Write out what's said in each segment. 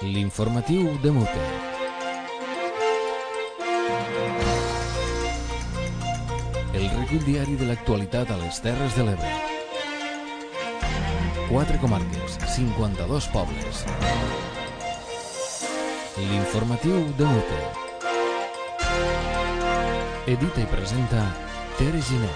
L'informatiu de Mute. El recull diari de l'actualitat a les Terres de l'Ebre. 4 comarques, 52 pobles. L'informatiu de Mute. Edita i presenta Tere Giner.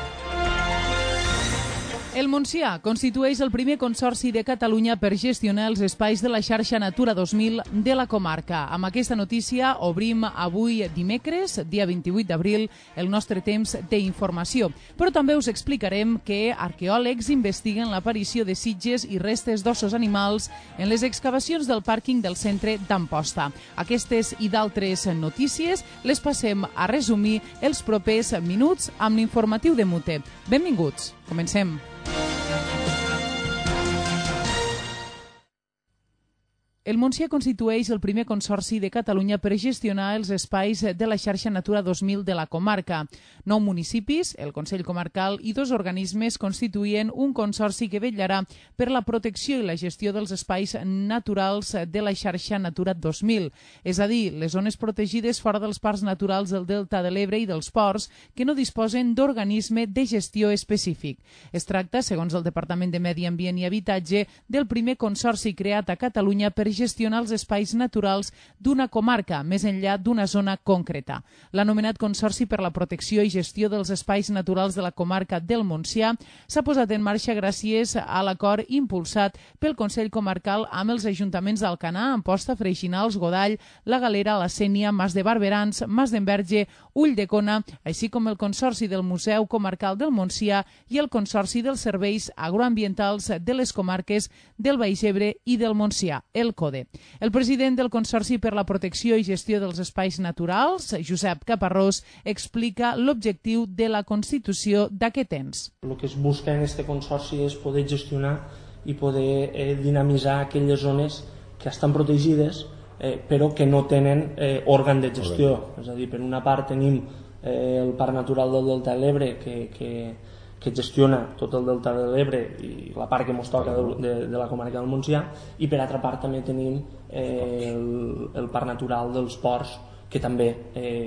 El Montsià constitueix el primer consorci de Catalunya per gestionar els espais de la xarxa Natura 2000 de la comarca. Amb aquesta notícia obrim avui dimecres, dia 28 d'abril, el nostre temps d'informació. Però també us explicarem que arqueòlegs investiguen l'aparició de sitges i restes d'ossos animals en les excavacions del pàrquing del centre d'Amposta. Aquestes i d'altres notícies les passem a resumir els propers minuts amb l'informatiu de Mute. Benvinguts, comencem. El Montsià constitueix el primer consorci de Catalunya per gestionar els espais de la xarxa Natura 2000 de la comarca. 9 municipis, el Consell Comarcal i 2 organismes constituïen un consorci que vetllarà per la protecció i la gestió dels espais naturals de la xarxa Natura 2000, és a dir, les zones protegides fora dels parcs naturals del Delta de l'Ebre i dels ports que no disposen d'organisme de gestió específic. Es tracta, segons el Departament de Medi Ambient i Habitatge, del primer consorci creat a Catalunya per gestionar els espais naturals d'una comarca, més enllà d'una zona concreta. L'anomenat Consorci per la Protecció i Gestió dels Espais Naturals de la comarca del Montsià s'ha posat en marxa gràcies a l'acord impulsat pel Consell Comarcal amb els ajuntaments d'Alcanar, Amposta, Freixinals, Godall, La Galera, La Sénia, Mas de Barberans, Mas d'Enverge, Ulldecona, així com el Consorci del Museu Comarcal del Montsià i el Consorci dels Serveis Agroambientals de les comarques del Baix Ebre i del Montsià, el CODE. El president del Consorci per la Protecció i Gestió dels Espais Naturals, Josep Caparrós, explica l'objectiu de la constitució d'aquest ens. El que es busca en aquest consorci és poder gestionar i poder dinamitzar aquelles zones que estan protegides però que no tenen òrgan de gestió. És a dir, per una part tenim el Parc Natural del Delta de l'Ebre que gestiona tot el Delta de l'Ebre i la part que ens toca de la comarca del Montsià, i per altra part també tenim el Parc Natural dels Ports que també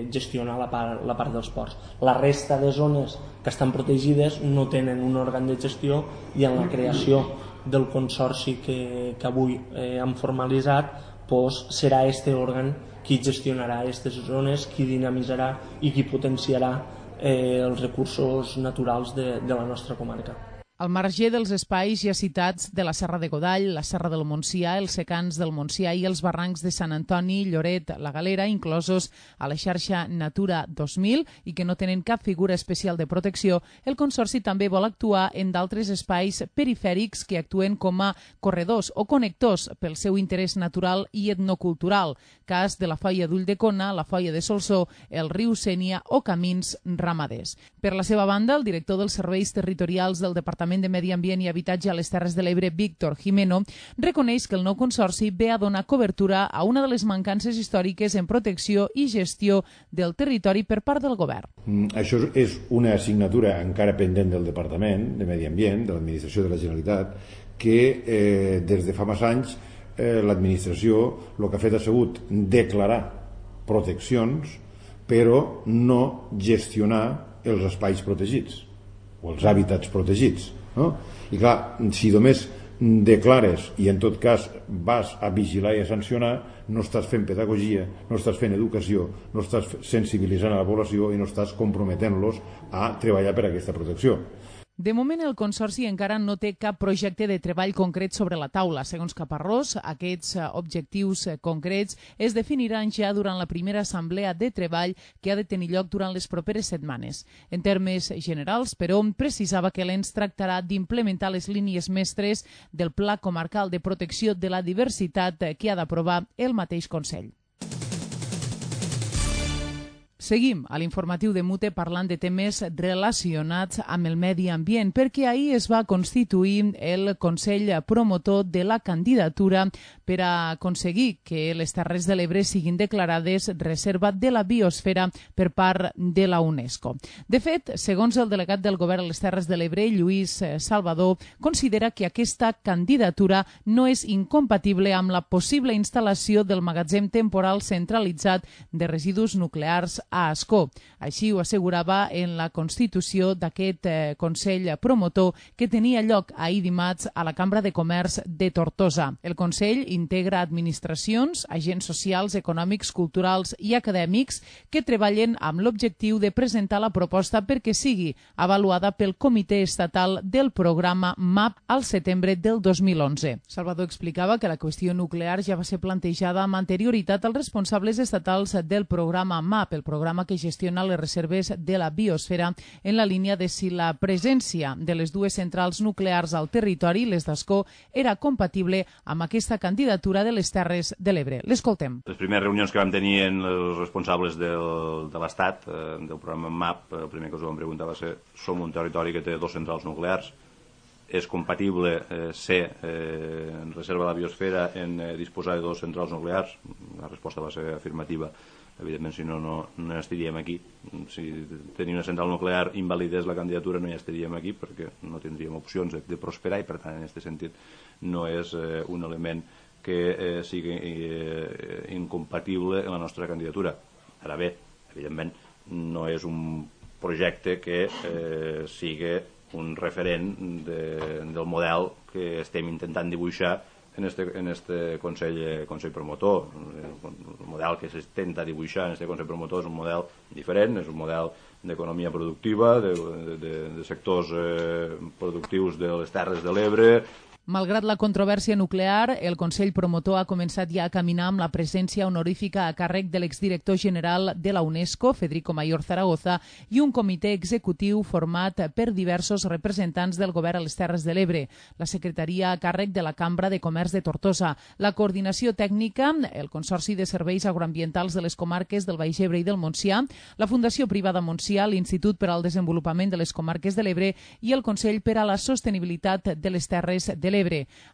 gestiona la part dels ports. La resta de zones que estan protegides no tenen un òrgan de gestió i en la creació del consorci que avui hem formalitzat serà aquest òrgan qui gestionarà aquestes zones, qui dinamitzarà i qui potenciarà els recursos naturals de la nostra comarca. Al marge dels espais ja citats de la Serra de Godall, la Serra del Montsià, els secans del Montsià i els barrancs de Sant Antoni, Lloret, La Galera, inclosos a la xarxa Natura 2000 i que no tenen cap figura especial de protecció, el Consorci també vol actuar en d'altres espais perifèrics que actuen com a corredors o connectors pel seu interès natural i etnocultural, cas de la Foia d'Ulldecona, la Foia de Solsó, el riu Sénia o camins ramaders. Per la seva banda, el director dels Serveis Territorials del Departament de Medi Ambient i Habitatge a les Terres de l'Ebre, Víctor Jimeno, reconeix que el nou consorci ve a donar cobertura a una de les mancances històriques en protecció i gestió del territori per part del govern. Això és una assignatura encara pendent del Departament de Medi Ambient, de l'Administració de la Generalitat, que des de fa massa anys l'administració el que ha fet ha sigut declarar proteccions però no gestionar els espais protegits o els hàbitats protegits, no? I clar, si només declares i en tot cas vas a vigilar i a sancionar, no estàs fent pedagogia, no estàs fent educació, no estàs sensibilitzant a la població i no estàs comprometent-los a treballar per aquesta protecció. De moment, el Consorci encara no té cap projecte de treball concret sobre la taula. Segons Caparrós, aquests objectius concrets es definiran ja durant la primera assemblea de treball que ha de tenir lloc durant les properes setmanes. En termes generals, però, precisava que l'ENS tractarà d'implementar les línies mestres del Pla Comarcal de Protecció de la Diversitat que ha d'aprovar el mateix Consell. Seguim a l'informatiu de Mute parlant de temes relacionats amb el medi ambient, perquè ahir es va constituir el Consell Promotor de la candidatura per a aconseguir que les Terres de l'Ebre siguin declarades reserva de la biosfera per part de la UNESCO. De fet, segons el delegat del Govern a les Terres de l'Ebre, Lluís Salvador, considera que aquesta candidatura no és incompatible amb la possible instal·lació del magatzem temporal centralitzat de residus nuclears a Ascó. Així ho assegurava en la constitució d'aquest Consell Promotor que tenia lloc ahir dimarts a la Cambra de Comerç de Tortosa. El Consell integra administracions, agents socials, econòmics, culturals i acadèmics que treballen amb l'objectiu de presentar la proposta perquè sigui avaluada pel Comitè Estatal del Programa MAP al setembre del 2011. Salvador explicava que la qüestió nuclear ja va ser plantejada amb anterioritat als responsables estatals del programa MAP, el programa que gestiona les reserves de la biosfera, en la línia de si la presència de les dues centrals nuclears al territori, les d'Ascó, era compatible amb aquesta candidatura de les Terres de l'Ebre. L'escoltem. Les primeres reunions que vam tenir amb els responsables de l'Estat, del programa MAP, el primer que us vam preguntar va ser: som un territori que té dos centrals nuclears, és compatible ser en reserva de la biosfera en disposar de dos centrals nuclears? La resposta va ser afirmativa. Evidentment, si no, no estaríem aquí. Si tenir una central nuclear invalidés la candidatura, no hi estaríem aquí perquè no tindríem opcions de prosperar i, per tant, en aquest sentit, no és un element que sigui incompatible en la nostra candidatura. Ara bé, evidentment, no és un projecte que sigui un referent del model que estem intentant dibuixar en este Consell Promotor. El model que s'intenta dibuixar en este Consell Promotor és un model diferent, és un model d'economia productiva, de sectors productius de les Terres de l'Ebre. Malgrat la controvèrsia nuclear, el Consell Promotor ha començat ja a caminar amb la presència honorífica a càrrec de l'exdirector general de la UNESCO, Federico Mayor Zaragoza, i un comitè executiu format per diversos representants del Govern a les Terres de l'Ebre, la secretaria a càrrec de la Cambra de Comerç de Tortosa, la coordinació tècnica, el Consorci de Serveis Agroambientals de les comarques del Baix Ebre i del Montsià, la Fundació Privada Montsià, l'Institut per al Desenvolupament de les Comarques de l'Ebre i el Consell per a la Sostenibilitat de les Terres de l'Ebre.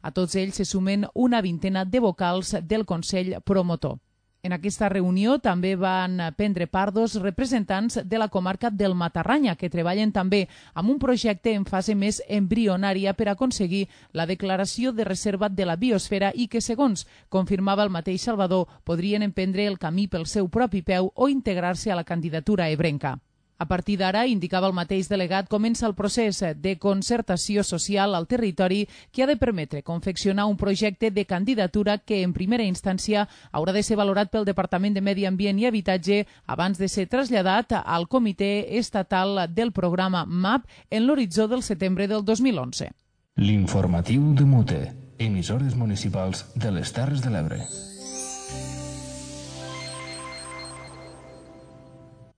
A tots ells se sumen una vintena de vocals del Consell Promotor. En aquesta reunió també van prendre part dos representants de la comarca del Matarranya, que treballen també amb un projecte en fase més embrionària per aconseguir la declaració de reserva de la biosfera i que, segons confirmava el mateix Salvador, podrien emprendre el camí pel seu propi peu o integrar-se a la candidatura ebrenca. A partir d'ara, indicava el mateix delegat, comença el procés de concertació social al territori que ha de permetre confeccionar un projecte de candidatura que, en primera instància, haurà de ser valorat pel Departament de Medi Ambient i Habitatge abans de ser traslladat al Comitè Estatal del Programa MAP en l'horitzó del setembre del 2011. L'informatiu de Mute, emissores municipals de les Terres de l'Ebre.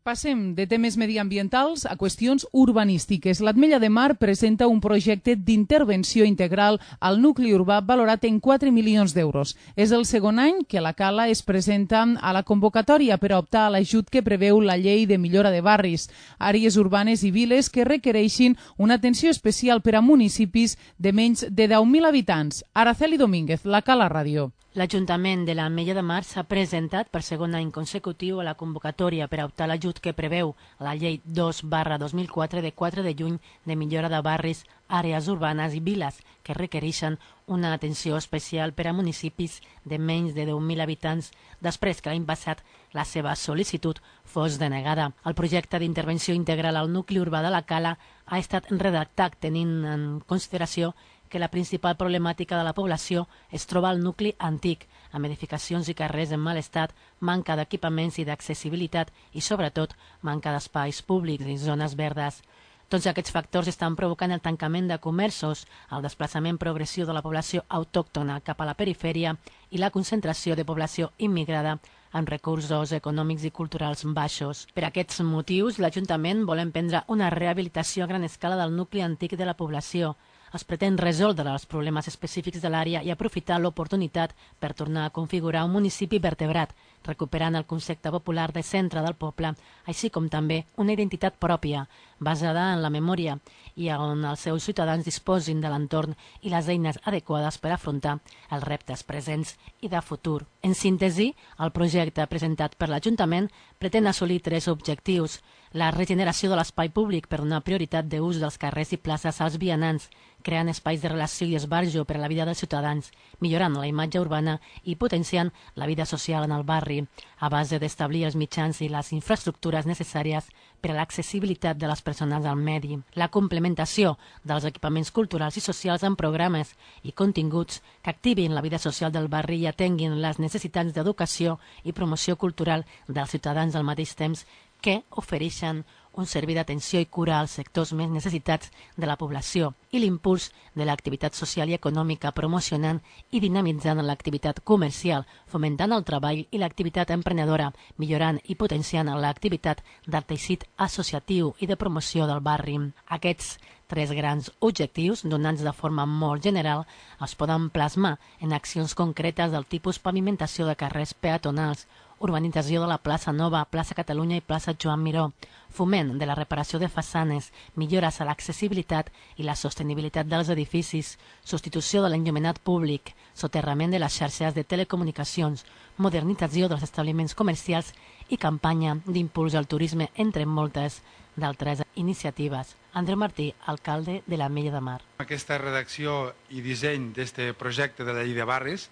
Passem de temes mediambientals a qüestions urbanístiques. L'Ametlla de Mar presenta un projecte d'intervenció integral al nucli urbà valorat en 4 milions d'euros. És el segon any que la Cala es presenta a la convocatòria per a optar a l'ajut que preveu la Llei de Millora de Barris, àrees urbanes i viles que requereixin una atenció especial per a municipis de menys de 10.000 habitants. Araceli Domínguez, la Cala Ràdio. L'Ajuntament de l'Ametlla de Mar s'ha presentat per segon any consecutiu a la convocatòria per a optar a l'ajut que preveu la Llei 2/2004 de 4 de juny de millora de barris, àrees urbanes i viles que requereixen una atenció especial per a municipis de menys de 10.000 habitants després que l'any passat la seva sol·licitud fos denegada. El projecte d'intervenció integral al nucli urbà de la Cala ha estat redactat tenint en consideració que la principal problemàtica de la població es troba al nucli antic, amb edificacions i carrers en mal estat, manca d'equipaments i d'accessibilitat i, sobretot, manca d'espais públics i zones verdes. Tots aquests factors estan provocant el tancament de comerços, el desplaçament progressiu de la població autòctona cap a la perifèria i la concentració de població immigrada amb recursos econòmics i culturals baixos. Per aquests motius, l'Ajuntament vol emprendre una rehabilitació a gran escala del nucli antic de la població, es pretén resoldre els problemes específics de l'àrea i aprofitar l'oportunitat per tornar a configurar un municipi vertebrat, recuperant el concepte popular de centre del poble, així com també una identitat pròpia, basada en la memòria i on els seus ciutadans disposin de l'entorn i les eines adequades per afrontar els reptes presents i de futur. En síntesi, el projecte presentat per l'Ajuntament pretén assolir 3 objectius: la regeneració de l'espai públic per donar prioritat d'ús dels carrers i places als vianants, creant espais de relació i esbarjo per a la vida dels ciutadans, millorant la imatge urbana i potenciant la vida social en el barri, a base d'establir els mitjans i les infraestructures necessàries per a l'accessibilitat de les persones al medi, la complementació dels equipaments culturals i socials amb programes i continguts que activin la vida social del barri i atenguin les necessitats d'educació i promoció cultural dels ciutadans al mateix temps que ofereixen un servei d'atenció i cura als sectors més necessitats de la població i l'impuls de l'activitat social i econòmica promocionant i dinamitzant l'activitat comercial, fomentant el treball i l'activitat emprenedora, millorant i potenciant l'activitat del teixit associatiu i de promoció del barri. Aquests 3 grans objectius, donats de forma molt general, es poden plasmar en accions concretes del tipus pavimentació de carrers peatonals, urbanització de la plaça Nova, plaça Catalunya i plaça Joan Miró, foment de la reparació de façanes, millores a l'accessibilitat i la sostenibilitat dels edificis, substitució de l'enllumenat públic, soterrament de les xarxes de telecomunicacions, modernització dels establiments comercials i campanya d'impuls al turisme, entre moltes d'altres iniciatives. Andreu Martí, alcalde de l'Ametlla de Mar. Aquesta redacció i disseny d'aquest projecte de la llei de barris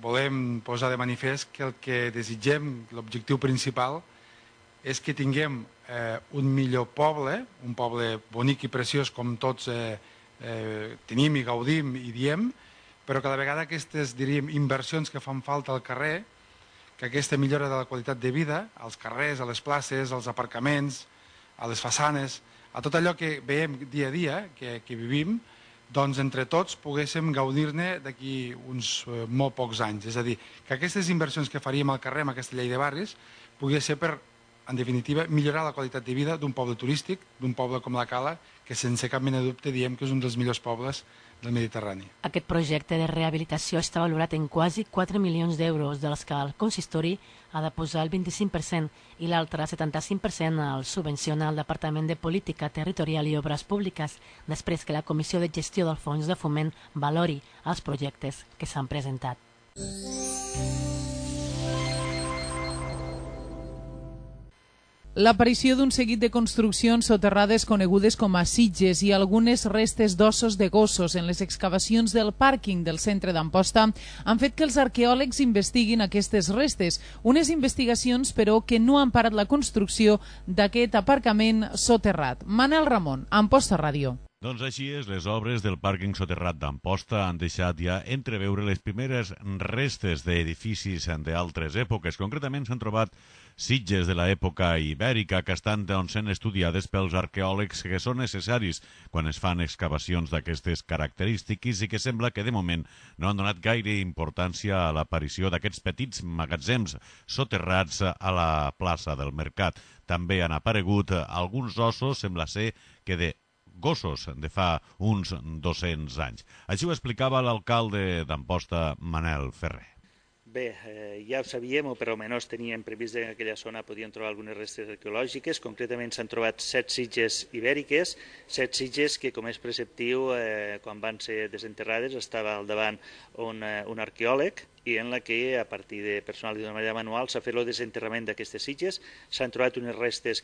volem posar de manifest que el que desitgem, l'objectiu principal, és que tinguem un millor poble, un poble bonic i preciós com tots tenim i gaudim i diem, però que a la vegada aquestes, diríem, inversions que fan falta al carrer, que aquesta millora de la qualitat de vida, als carrers, a les places, als aparcaments, a les façanes, a tot allò que veiem dia a dia, que vivim, doncs entre tots poguéssim gaudir-ne d'aquí uns molt pocs anys. És a dir, que aquestes inversions que faríem al carrer amb aquesta llei de barris pogués ser per, en definitiva, millorar la qualitat de vida d'un poble turístic, d'un poble com la Cala, que sense cap mena de dubte diem que és un dels millors pobles del Mediterrani. Aquest projecte de rehabilitació està valorat en quasi 4 milions d'euros, dels que el consistori ha de posar el 25% i l'altre 75% el subvenciona al Departament de Política Territorial i Obres Públiques, després que la Comissió de Gestió del Fons de Foment valori els projectes que s'han presentat. L'aparició d'un seguit de construccions soterrades conegudes com a sitges i algunes restes d'ossos de gossos en les excavacions del pàrquing del centre d'Amposta han fet que els arqueòlegs investiguin aquestes restes, unes investigacions però que no han parat la construcció d'aquest aparcament soterrat. Manel Ramon, Amposta Ràdio. Doncs així és, les obres del pàrquing soterrat d'Amposta han deixat ja entreveure les primeres restes d'edificis d'altres èpoques. Concretament s'han trobat sitges de l'època ibèrica que estan sent estudiades pels arqueòlegs que són necessaris quan es fan excavacions d'aquestes característiques i que sembla que de moment no han donat gaire importància a l'aparició d'aquests petits magatzems soterrats a la plaça del Mercat. També han aparegut alguns ossos, sembla ser que de gossos de fa uns 200 anys. Així ho explicava l'alcalde d'Amposta, Manel Ferrer. Bé, ja ho sabíem, o per almenys teníem previst que en aquella zona podien trobar algunes restes arqueològiques. Concretament s'han trobat 7 sitges ibèriques, 7 sitges que, com és preceptiu, quan van ser desenterrades estava al davant un arqueòleg i en la que, a partir de personal i d'una manera manual, s'ha fet el desenterrament d'aquestes sitges. S'han trobat unes restes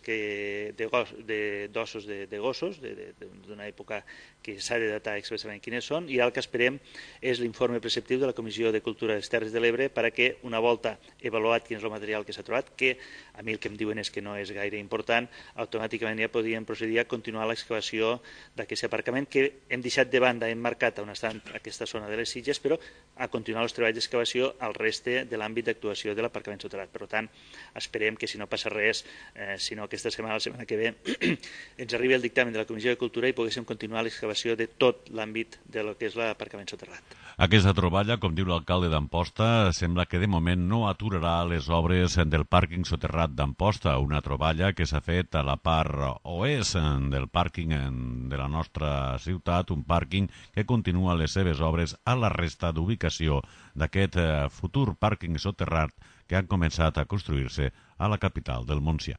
d'ossos de gossos, d'una època que s'ha de datar expressament quines són, i el que esperem és l'informe preceptiu de la Comissió de Cultura de les Terres de l'Ebre perquè, una volta avaluat quin és el material que s'ha trobat, que a mi el que em diuen és que no és gaire important, automàticament ja podríem procedir a continuar l'excavació d'aquest aparcament que hem deixat de banda, hem marcat on està aquesta zona de les sitges, però a continuar els treballs d'excavació relació al reste de l'àmbit d'actuació de l'aparcament soterrat. Per tant, esperem que si no passa res, sinó aquesta setmana, la setmana que ve, ens arribi el dictamen de la Comissió de Cultura i poguéssim continuar l'excavació de tot l'àmbit de lo que és l'aparcament soterrat. Aquesta troballa, com diu l'alcalde d'Amposta, sembla que de moment no aturarà les obres del pàrquing soterrat d'Amposta, una troballa que s'ha fet a la part oest del pàrquing de la nostra ciutat, un pàrquing que continua les seves obres a la resta d'ubicació d'aquest futur pàrquing soterrat que han començat a construir-se a la capital del Montsià.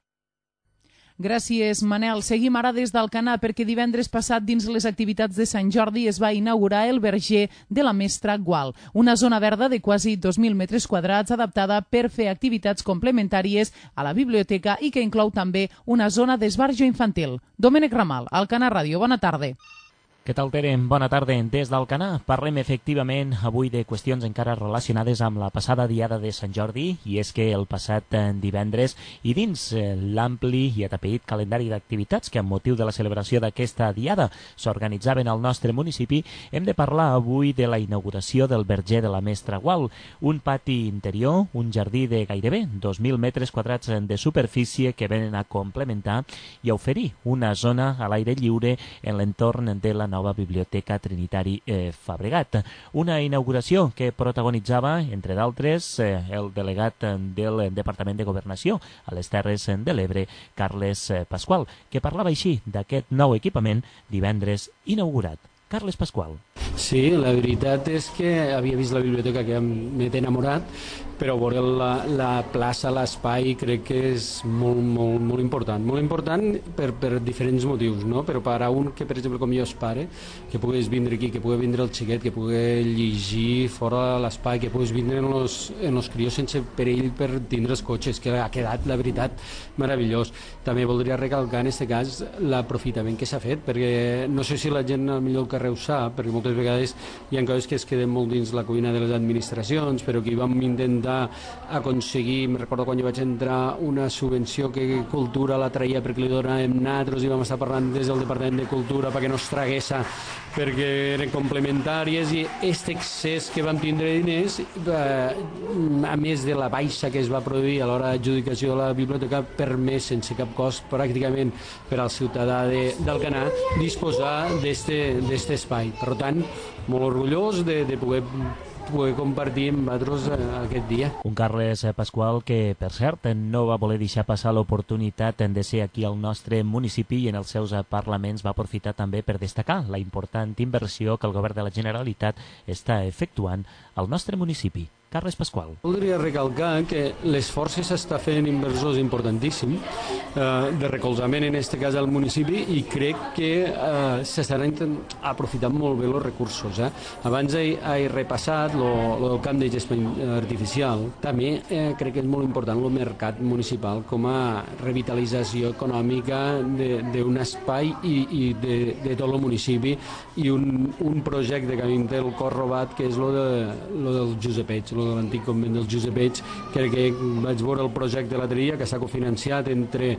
Gràcies, Manel. Seguim ara des d'Alcanar perquè divendres passat dins les activitats de Sant Jordi es va inaugurar el verger de la Mestra Gual, una zona verda de quasi 2.000 metres quadrats adaptada per fer activitats complementàries a la biblioteca i que inclou també una zona d'esbarjo infantil. Domènec Ramal, Alcanar Ràdio, bona tarda. Què tal, Tere? Bona tarda. Des d'Alcanar parlem efectivament avui de qüestions encara relacionades amb la passada diada de Sant Jordi, i és que el passat divendres i dins l'ampli i atapeït calendari d'activitats que amb motiu de la celebració d'aquesta diada s'organitzaven al nostre municipi, hem de parlar avui de la inauguració del verger de la Mestra Gual, un pati interior, un jardí de gairebé 2.000 metres quadrats de superfície que venen a complementar i a oferir una zona a l'aire lliure en l'entorn de la nova Biblioteca Trinitari Fabregat. Una inauguració que protagonitzava, entre d'altres, el delegat del Departament de Governació a les Terres de l'Ebre, Carles Pasqual, que parlava així d'aquest nou equipament divendres inaugurat. Carles Pasqual. Sí, la veritat és que havia vist la biblioteca que m'he enamorat, però veure la plaça, l'espai, crec que és molt important. Molt important per diferents motius, no? Però per a un que, per exemple, com jo és pare, que puguis vindre aquí, que pugui vindre el xiquet, que pugui llegir fora l'espai, que puguis vindre en els crios sense perill per tindre els cotxes, que ha quedat, la veritat, meravellós. També voldria recalcar, en aquest cas, l'aprofitament que s'ha fet, perquè no sé si la gent millor que ho sap, perquè moltes vegades hi ha coses que es queden molt dins la cuina de les administracions, però que vam intentar aconseguir, me'n recordo quan jo vaig entrar, una subvenció que Cultura la traia perquè li donàvem nosaltres i vam estar parlant des del Departament de Cultura perquè no es tragués, perquè eren complementàries, i aquest excés que vam tindre de diners, a més de la baixa que es va produir a l'hora d'adjudicació de la biblioteca, permès sense cap cost pràcticament per al ciutadà d'Alcanar disposar d'aquest espai. Per tant, molt orgullós de poder compartir amb vosaltres aquest dia. Un Carles Pasqual que, per cert, no va voler deixar passar l'oportunitat de ser aquí al nostre municipi, i en els seus parlaments va aprofitar també per destacar la important inversió que el govern de la Generalitat està efectuant al nostre municipi. Carles Pasqual. Voldria recalcar que l'esforç que s'està fent inversors importantíssim de recolzament, en aquest cas al municipi, i crec que s'estaran aprofitant molt bé els recursos. Abans he repassat el camp de gestió artificial. També crec que és molt important el mercat municipal com a revitalització econòmica d'un espai i de tot el municipi, i un projecte que a mi em té el cor robat, que és el del Josepets, de l'antic convent del Josepets. Crec que vaig veure el projecte l'altre dia, que s'ha cofinanciat entre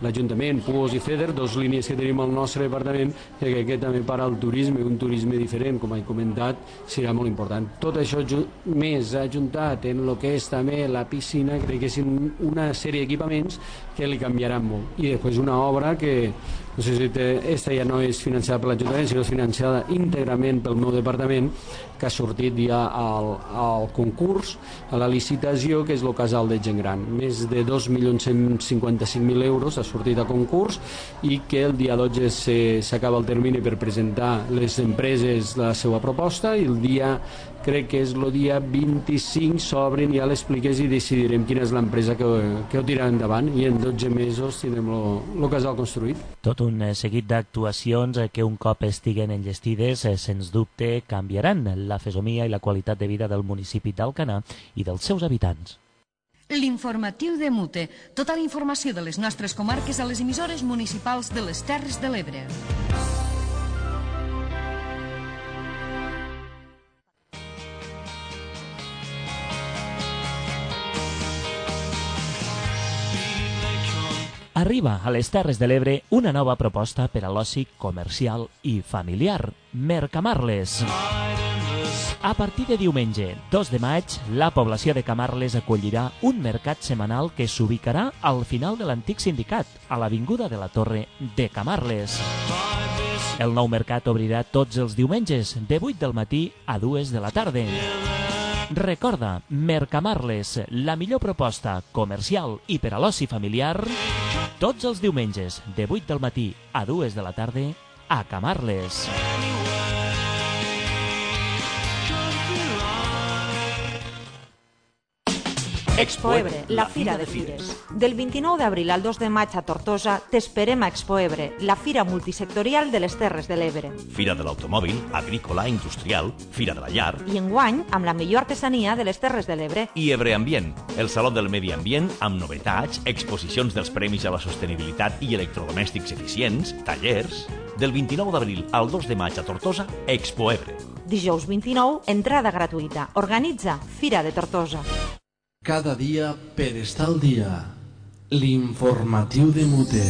l'Ajuntament, Puos i FEDER, dues línies que tenim al nostre departament, que també per al turisme, un turisme diferent, com he comentat, serà molt important. Tot això més ajuntat en el que és també la piscina, crec que és una sèrie d'equipaments que li canviaran molt. I després una obra que no sé si aquesta ja no és financiada per l'Ajuntament, sinó financiada íntegrament pel meu departament, que ha sortit ja al concurs, a la licitació, que és el casal de gent gran. Més de 2.155.000 euros ha sortit a concurs, i que el dia 12 s'acaba el termini per presentar les empreses la seva proposta, i el dia, crec que és el dia 25, s'obren ja les pliques i decidirem quina és l'empresa que ho tirarà endavant, i en 12 mesos tindrem el casal construït. Tot un seguit d'actuacions que un cop estiguen enllestides, sens dubte canviaran la fesomia i la qualitat de vida del municipi d'Alcanar i dels seus habitants. L'informatiu de Mute. Tota la informació de les nostres comarques a les emissores municipals de les Terres de l'Ebre. Arriba a les Terres de l'Ebre una nova proposta per a l'oci comercial i familiar, Mercamarles. A partir de diumenge, 2 de maig, la població de Camarles acollirà un mercat setmanal que s'ubicarà al final de l'antic sindicat, a l'Avinguda de la Torre de Camarles. El nou mercat obrirà tots els diumenges, de 8 del matí a 2 de la tarda. Recorda, Mercamarles, la millor proposta comercial i per a l'oci familiar, tots els diumenges, de 8 del matí a 2 de la tarda, a Camarles. Expo Ebre, la Fira de Fires. Del 29 d'abril al 2 de maig a Tortosa t'esperem a Expo Ebre, la fira multisectorial de les Terres de l'Ebre. Fira de l'automòbil, agrícola, industrial, Fira de la llar. I enguany amb la millor artesania de les Terres de l'Ebre. I Ebre Ambient, el Saló del Medi Ambient amb novetats, exposicions dels premis a la sostenibilitat i electrodomèstics eficients, tallers. Del 29 d'abril al 2 de maig a Tortosa, Expo Ebre. Dijous 29, entrada gratuïta. Organitza Fira de Tortosa. Cada dia per estar al dia. L'informatiu de Mute.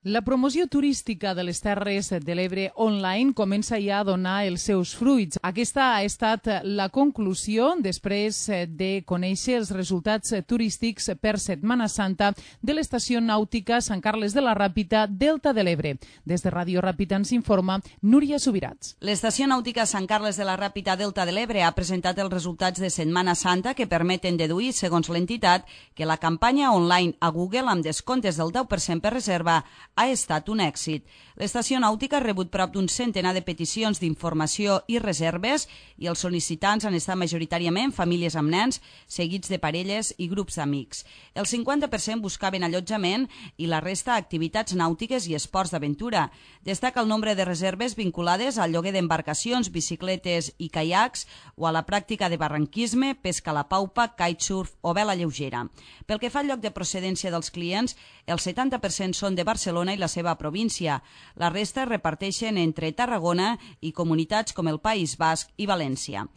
La promoció turística de les Terres de l'Ebre online comença ja a donar els seus fruits. Aquesta ha estat la conclusió després de conèixer els resultats turístics per Setmana Santa de l'estació nàutica Sant Carles de la Ràpita, Delta de l'Ebre. Des de Ràdio Ràpita ens informa Núria Subirats. L'estació nàutica Sant Carles de la Ràpita, Delta de l'Ebre ha presentat els resultats de Setmana Santa que permeten deduir, segons l'entitat, que la campanya online a Google amb descomptes del 10% per reserva ha estat un èxit. L'estació nàutica ha rebut prop d'un centenar de peticions d'informació i reserves i els sol·licitants han estat majoritàriament famílies amb nens, seguits de parelles i grups d'amics. El 50% buscaven allotjament i la resta activitats nàutiques i esports d'aventura. Destaca el nombre de reserves vinculades al lloguer d'embarcacions, bicicletes i caiacs o a la pràctica de barranquisme, pesca a la paupa, kitesurf o vela lleugera. Pel que fa al lloc de procedència dels clients, el 70% són de Barcelona i la seva província. La resta es reparteixen entre Tarragona i comunitats com el País Basc i València.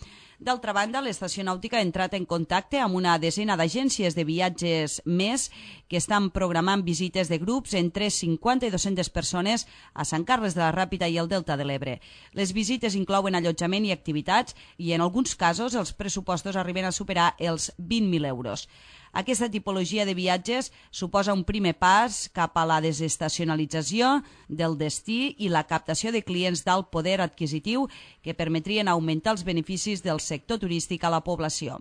D'altra banda, l'estació nàutica ha entrat en contacte amb una desena d'agències de viatges més que estan programant visites de grups entre 50 i 200 persones a Sant Carles de la Ràpita i el Delta de l'Ebre. Les visites inclouen allotjament i activitats i en alguns casos els pressupostos arriben a superar els 20.000 euros. Aquesta tipologia de viatges suposa un primer pas cap a la desestacionalització del destí i la captació de clients d'alt poder adquisitiu que permetrien augmentar els beneficis del sector turístic a la població.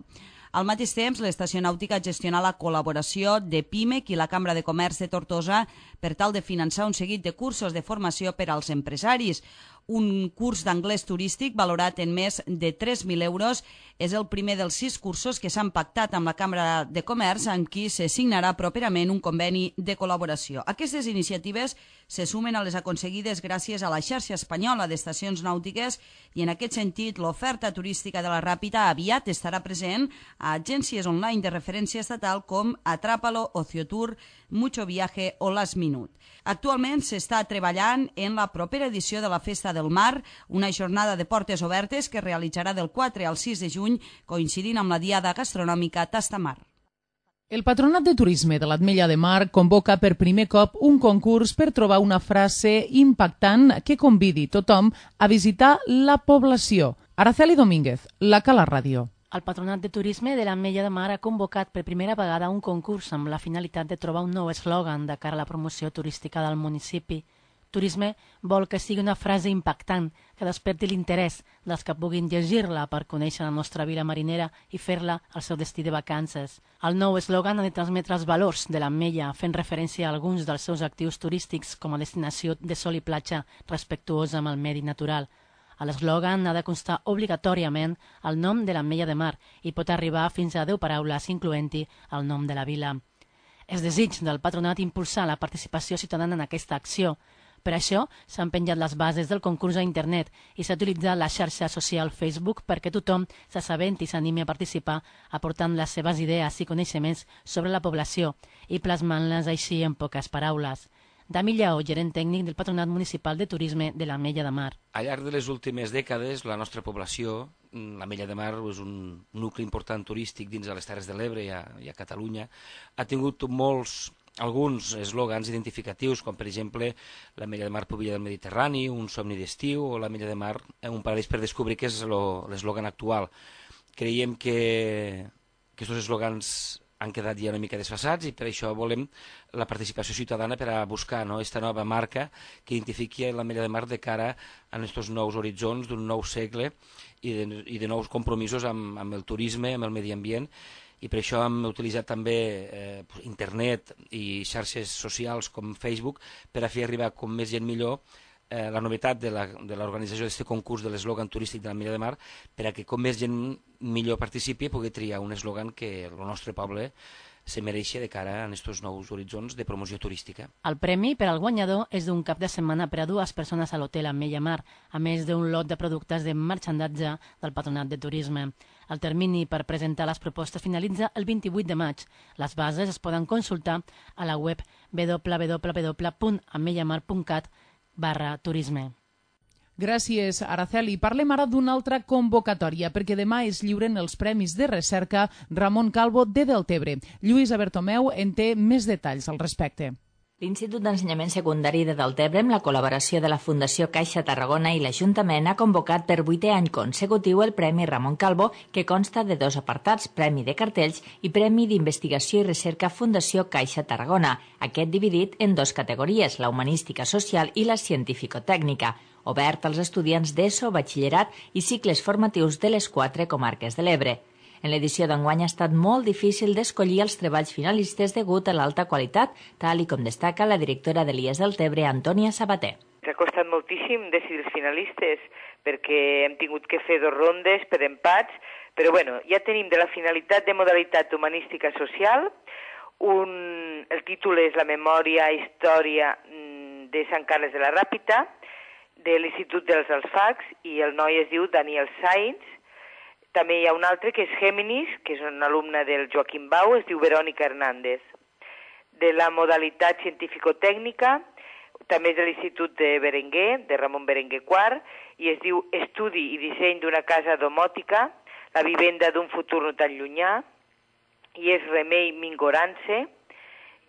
Al mateix temps, l'estació nàutica gestiona la col·laboració de PIMEC i la Cambra de Comerç de Tortosa per tal de finançar un seguit de cursos de formació per als empresaris. Un curs d'anglès turístic valorat en més de 3.000 euros és el primer dels 6 cursos que s'han pactat amb la Cambra de Comerç amb qui se signarà properament un conveni de col·laboració. Aquestes iniciatives se sumen a les aconseguides gràcies a la xarxa espanyola d'estacions nàutiques i en aquest sentit l'oferta turística de la Ràpita aviat estarà present a agències online de referència estatal com Atrápalo, Ociotour, Mucho Viaje o Last Minute. Actualment s'està treballant en la propera edició de la Festa del Mar, una jornada de portes obertes que es realitzarà del 4 al 6 de juny, coincidint amb la Diada Gastronòmica Tastamar. El Patronat de Turisme de l'Ametlla de Mar convoca per primer cop un concurs per trobar una frase impactant que convidi tothom a visitar la població. Araceli Domínguez, la Cala Ràdio. El Patronat de Turisme de l'Ametlla de Mar ha convocat per primera vegada un concurs amb la finalitat de trobar un nou eslògan de cara a la promoció turística del municipi. Turisme vol que sigui una frase impactant, que desperti l'interès dels que puguin llegir-la per conèixer la nostra vila marinera i fer-la el seu destí de vacances. El nou eslògan ha de transmetre els valors de l'Ametlla, fent referència a alguns dels seus actius turístics com a destinació de sol i platja respectuosa amb el medi natural. A l'eslògan ha de constar obligatòriament el nom de l'Ametlla de Mar i pot arribar fins a 10 paraules, incloent-hi el nom de la vila. És desig del patronat impulsar la participació ciutadana en aquesta acció. Per això s'han penjat les bases del concurs a internet i s'ha utilitzat la xarxa social Facebook perquè tothom s'assabenti i s'animi a participar aportant les seves idees i coneixements sobre la població i plasmant-les així en poques paraules. Dami Lleó, gerent tècnic del Patronat Municipal de Turisme de l'Ametlla de Mar. Al llarg de les últimes dècades, la nostra població, l'Ametlla de Mar és un nucli important turístic dins de les Terres de l'Ebre i a Catalunya, ha tingut molts alguns eslògans identificatius, com per exemple l'Ametlla de Mar Pubilla del Mediterrani, un somni d'estiu, o l'Ametlla de Mar, un paradís per descobrir, que és l'eslògan actual. Creiem que aquests eslògans han quedat ja una mica desfasats i per això volem la participació ciutadana per a buscar aquesta nova marca que identifiqui l'Ametlla de Mar de cara a aquests nous horitzons d'un nou segle i de nous compromisos amb el turisme, amb el medi ambient, i per això hem utilitzat també internet i xarxes socials com Facebook per a fer arribar com més gent millor la novetat de l'organització d'aquest concurs de l'eslògan turístic de l'Ametlla de Mar, per a que com més gent millor participi pugui triar un eslògan que el nostre poble se mereix de cara a aquests nous horitzons de promoció turística. El premi per al guanyador és d'un cap de setmana per a 2 persones a l'hotel Ametlla Mar, a més d'un lot de productes de marxandatge del Patronat de Turisme. El termini per presentar les propostes finalitza el 28 de maig. Les bases es poden consultar a la web www.ametllamar.cat/turisme. Gràcies, Araceli. Parlem ara d'una altra convocatòria, perquè demà es lliuren els Premis de Recerca Ramon Calvo de Deltebre. Lluïsa Bertomeu en té més detalls al respecte. L'Institut d'Ensenyament Secundari de Deltebre, amb la col·laboració de la Fundació Caixa Tarragona i l'Ajuntament, ha convocat per 8è any consecutiu el Premi Ramon Calvo, que consta de 2 apartats, Premi de Cartells i Premi d'Investigació i Recerca Fundació Caixa Tarragona, aquest dividit en 2 categories, la humanística social i la científico-tècnica, obert als estudiants d'ESO, batxillerat i cicles formatius de les 4 comarques de l'Ebre. En l'edició d'enguany ha estat molt difícil d'escollir els treballs finalistes degut a l'alta qualitat, tal i com destaca la directora de l'IES Deltebre, Antònia Sabater. Ens ha costat moltíssim decidir els finalistes perquè hem tingut que fer 2 rondes per empats, però bueno, ja tenim de la finalitat de modalitat humanística social, el títol és la memòria història de Sant Carles de la Ràpita, de l'Institut dels Alfacs, i el noi es diu Daniel Sainz. També hi ha un altre que és Géminis, que és un alumne del Joaquim Bau, es diu Verònica Hernández. De la modalitat científico-tècnica, també és de l'Institut de Berenguer, de Ramon Berenguer IV, i es diu Estudi i disseny d'una casa domòtica, la vivenda d'un futur no tan llunyà, i és Remei Mingorance,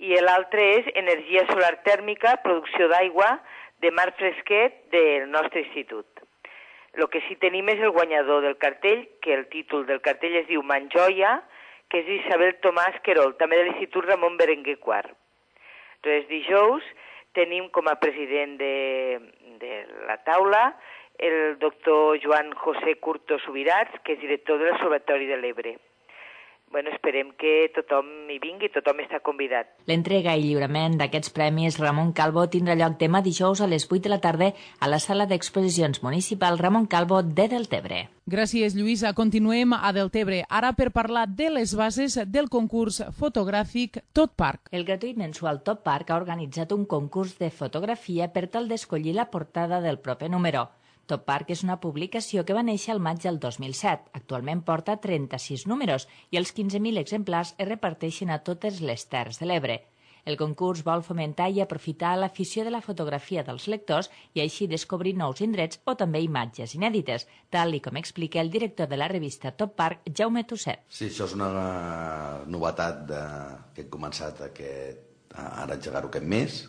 i l'altre és Energia solar tèrmica, producció d'aigua, de Marc Fresquet, del nostre institut. El que sí tenim és el guanyador del cartell, que el títol del cartell es diu Manjoia, que és Isabel Tomàs Querol, també de l'Institut Ramon Berenguer IV. Entonces, dijous tenim com a president de la taula el doctor Joan José Curto Subirats, que és director de l'Observatori de l'Ebre. Bueno, esperem que tothom hi vingui, tothom està convidat. L'entrega i lliurament d'aquests premis Ramon Calvo tindrà lloc demà dijous a les 8 de la tarda a la sala d'exposicions municipal Ramon Calvo de Deltebre. Gràcies, Lluïsa. Continuem a Deltebre, ara per parlar de les bases del concurs fotogràfic Tot Parc. El gratuït mensual Tot Parc ha organitzat un concurs de fotografia per tal d'escollir la portada del proper número. Tot Parc és una publicació que va néixer al maig del 2007. Actualment porta 36 números i els 15.000 exemplars es reparteixen a totes les Terres de l'Ebre. El concurs vol fomentar i aprofitar l'afició de la fotografia dels lectors i així descobrir nous indrets o també imatges inèdites, tal i com explica el director de la revista Tot Parc, Jaume Tusset. Sí, això és una novetat que hem començat ara a engegar-ho aquest mes,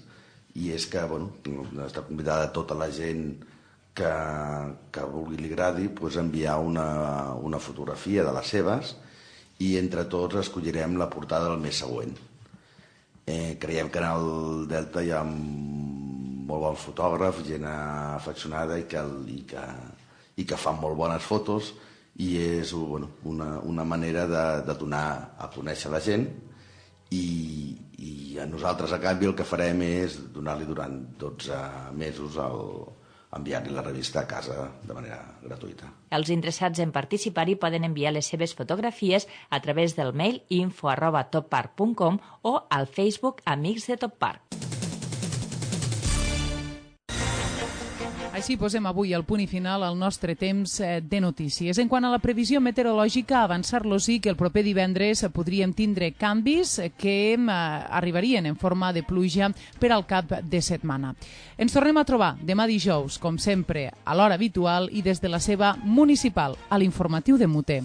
i és que està convidada tota la gent que vulgui li agradi enviar una fotografia de les seves i entre tots escollirem la portada del mes següent. Creiem que en el Delta hi ha molt bon fotògraf, gent afeccionada i que fan molt bones fotos, i és una manera de donar a conèixer la gent, i a nosaltres a canvi el que farem és donar-li durant 12 mesos enviar-li la revista a casa de manera gratuïta. Els interessats en participar-hi poden enviar les seves fotografies a través del mail info@toppark.com o al Facebook Amics de Tot Parc. Així posem avui el punt i final al nostre temps de notícies. En quant a la previsió meteorològica, avançar-los sí que el proper divendres podríem tindre canvis que arribarien en forma de pluja per al cap de setmana. Ens tornem a trobar demà dijous, com sempre, a l'hora habitual i des de la seva municipal, a l'informatiu de Mute.